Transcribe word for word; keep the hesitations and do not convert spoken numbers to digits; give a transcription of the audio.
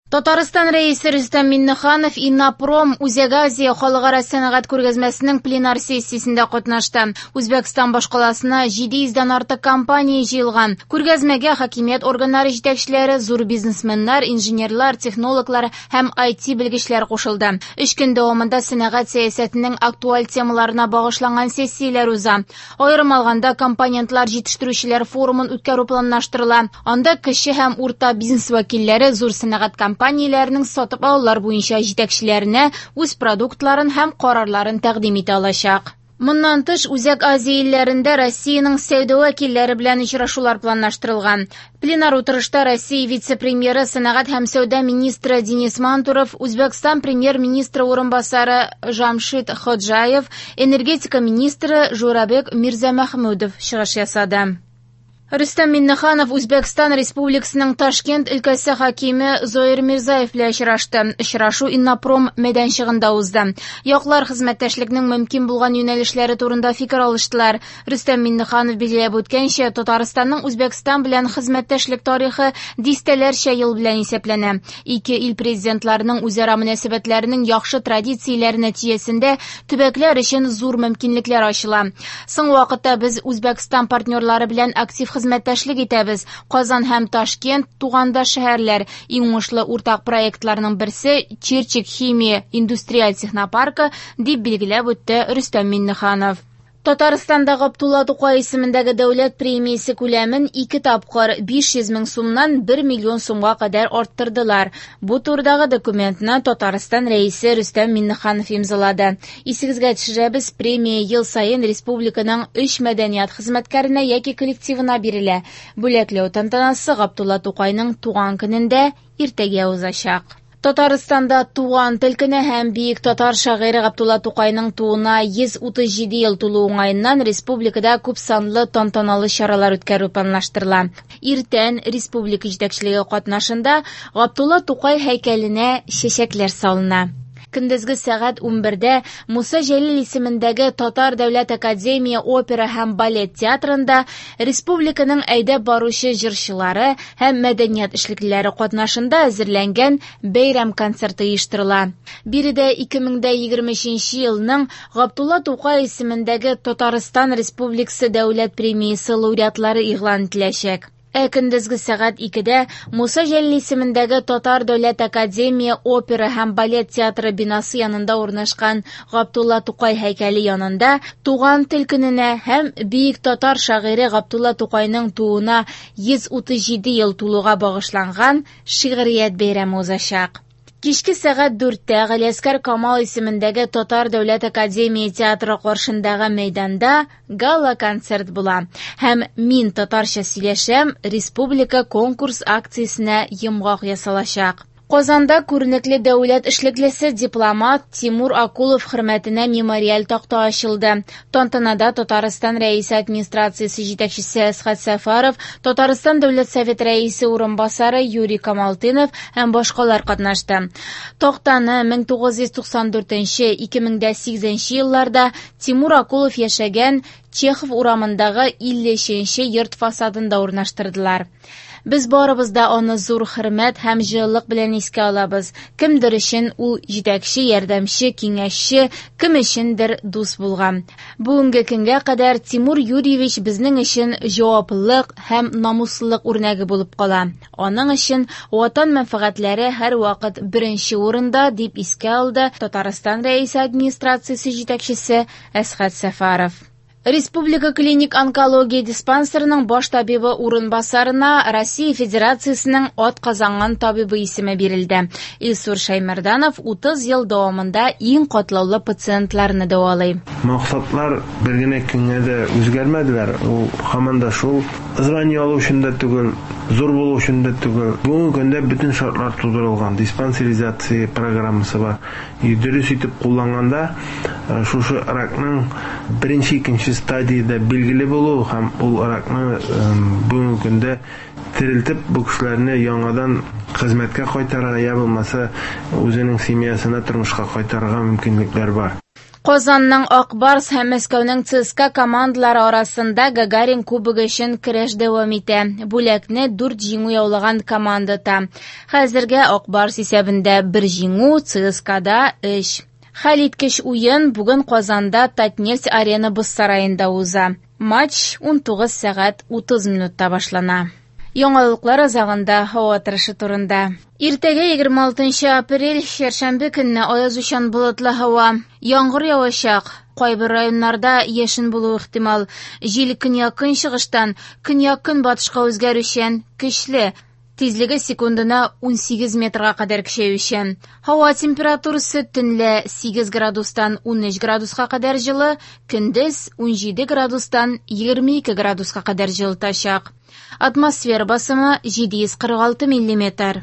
Татарстан Рәисе Рөстәм Миңнеханов Иннопром Үзәк Азия халыкара сәнәгать күргәзмәсенең пленар сессиясендә катнашты. Үзбәкстан башкаласына җиде йөздән артык компания җыелган. Күргәзмәгә хакимият органнары җитәкчеләре, зур бизнесменнар, инженерлар, технологлар һәм ай ти белгечләр кушылды. Өч көн дәвамында сәнәгать сәясәтенең актуаль темаларына багышланган сессияләр уза. Аерым алганда компонентлар җитештерүчеләр форумын үткәрү планлаштырыла. Анда кече һәм урта бизнес вәкилләре зур сәнәгать компанияләренең сатып алулар буенча җитәкчеләренә үз продуктларын һәм карарларын тәкъдим итә алачак. Моннан тыш, Үзәк Азия илләрендә Россиянең сәүдә вәкилләре белән очрашулар планлаштырылган. Пленар утырышта Россия вице-премьеры, сәнәгать һәм сәүдә министры Денис Мантуров, Үзбәкстан премьер-министры урынбасары Жамшид Ходжаев, энергетика министры Журабек Мирзамахмудов чыгыш ясады. Рөстәм Миңнеханов Үзбәкстан Республикасының Ташкент өлкәсе хакиме Зоир Мирзаев белән очрашты. Очрашу Иннопром мәйданчыгында узды. Яклар хезмәттәшлекнең мөмкин булган юнәлешләре турында фикер алыштылар. Рөстәм Миңнеханов билгеләп үткәнчә, Татарстанның Үзбәкстан белән хезмәттәшлек тарихы дистәләрчә ел белән исәпләнә. Ике ил президентларының үзара мөнәсәбәтләренең яхшы традицияләре нәтиҗәсендә төбәкләр өчен зур мөмкинлекләр ачыла. Соңгы вакытта без Үзбәкстан партнерлары белән актив хезмәттәшлек итәбез. Казан һәм Ташкент тугандаш шәһәрләр. Иң уңышлы уртак проектларның берсе Чирчик химия индустриаль технопаркы, дип билгеләп үтте Рөстәм Миңнеханов. Татарстанда Габдулла Тукай исемендәге дәүләт премиясе күләмен ике тапкыр биш йөз мең сумнан бер миллион сумга кадәр арттырдылар. Бу турыдагы документны Татарстан Рәисе Рөстәм Миңнеханов имзалады. Исегезгә төшерәбез, премия ел саен республиканың өч мәдәният хезмәткәренә яки коллективына бирелә. Бүләкләү тантанасы Габдулла Тукайның туган көнендә иртәгә узачак. Татарстанда туган тел көне һәм бөек татар шагыйре Габдулла Тукайның тууына йөз утыз җиде ел тулу уңаеннан республикада күп санлы тантаналы чаралар үткәрү планлаштырыла. Иртән республика җитәкчелеге катнашында Габдулла Тукай һәйкәленә чәчәкләр салына. Көндезге сәгать унбердә Муса Җәлил исемендәге Татар дәүләт академия опера һәм балет театрында республиканың әйдәп баручы җырчылары һәм мәдәният эшлеклеләре катнашында әзерләнгән бәйрәм концерты оештырыла. Биредә ике мең дә егерме өченче елның Габдулла Тукай исемендәге Татарстан Республикасы дәүләт премиясе лауреатлары игълан ителәчәк. Ә көндезге сәгать икедә Муса Җәлил исемендәге Татар дәүләт академия опера һәм балет театры бинасы янында урнашкан Габдулла Тукай һәйкәле янында туган тел көненә һәм бөек татар шагыйре Габдулла Тукайның тууына йөз утыз җиде ел тулуга багышланган шигърият бәйрәме узачак. Кичке сәгать дүрттә Галиәсгар Камал исемендәге Татар дәүләт академия театры каршындагы мәйданда гала-концерт була. Һәм Мин татарча сөйләшәм республика конкурс акциясенә йомгак ясалачак. Казанда күренекле дәүләт эшлеклесе дипломат Тимур Акулов хөрмәтенә мемориаль такта ачылды. Тантанада Татарстан Рәисе администрациясе җитәкчесе Әсхәт Сәфәров, Татарстан Дәүләт Советы рәисе урынбасары Юрий Камалтынов һәм башкалар катнашты. Тактаны мең тугыз йөз туксан дүртенче, ике мең дә сигезенче елларда Тимур Акулов яшәгән Чехов урамындагы илле өченче йорт фасадында урнаштырдылар. Без барыбыз да аны зур хөрмәт һәм җылылык белән искә алабыз. Кемдер өчен ул җитәкче, ярдәмче, киңәшче, кем өчендер дус булган. Бүгенге көнгә кадәр Тимур Юрьевич безнең өчен җаваплылык һәм намуслылык үрнәге булып кала. Аның өчен ватан мәнфәгатьләре һәрвакыт беренче урында, дип искә алды Татарстан Рәисе администрациясе җитәкчесе Әсхәт Сәфәров. Республика клиник онкология диспансерының баш табибы урынбасарына Россия Федерациясының атказанган табибы исеме бирелде. Илсур Шаймарданов утыз ел дәвамында иң катлаулы пациентларны дәвалый. Максатлар бер генә көнгә дә үзгәрмәделәр. Ул һаман да шул звание алу өчен дә түгел, зур булу өчен дә түгел. Бүгенге көндә бөтен шартлар тудырылган. Диспансеризация программасы бар. Дөрес итеп кулланганда шушы ракның беренче, икенче стадияда билгеле булу һәм ул ракны бүгенге көндә терелтеп бу кешеләрне яңадан хезмәткә кайтарырга я булмаса үзенең семьясына тормышка кайтарырга мөмкинлекләр бар. Казанның Ак Барс һәм Мәскәүнең ЦСКА командалары арасында Гагарин кубогы өчен көрәш дәвам итә. Бүләкне дүрт җиңү яулаган команда ота. Хәзергә Ак Барс исәбендә бер җиңү, ЦСКАда өч. Хәлиткеч уен бүген Казанда Татнефть-Арена боз сараенда уза. Матч унтугыз сәгать утыз минутта башлана. Яңалыклар азагында һава торышы турында. Иртәгә егерме алтынчы апрель, чәршәмбе көнне аязучан болытлы һава. Яңгыр явачак. Кайбер районнарда яшен булуы ихтимал. Җил көньяк-көнчыгыштан көньяк-көнбатышка үзгәрүчән, көчле. Тизлеге секундына унсигез метрга кадәр көчәючән. Һава температурасы төнлә сигез градустан унөч градуска кадәр җылы, көндез унҗиде градустан егерме ике градуска кадәр җылытачак. Атмосфера басымы җиде йөз кырык алты миллиметр.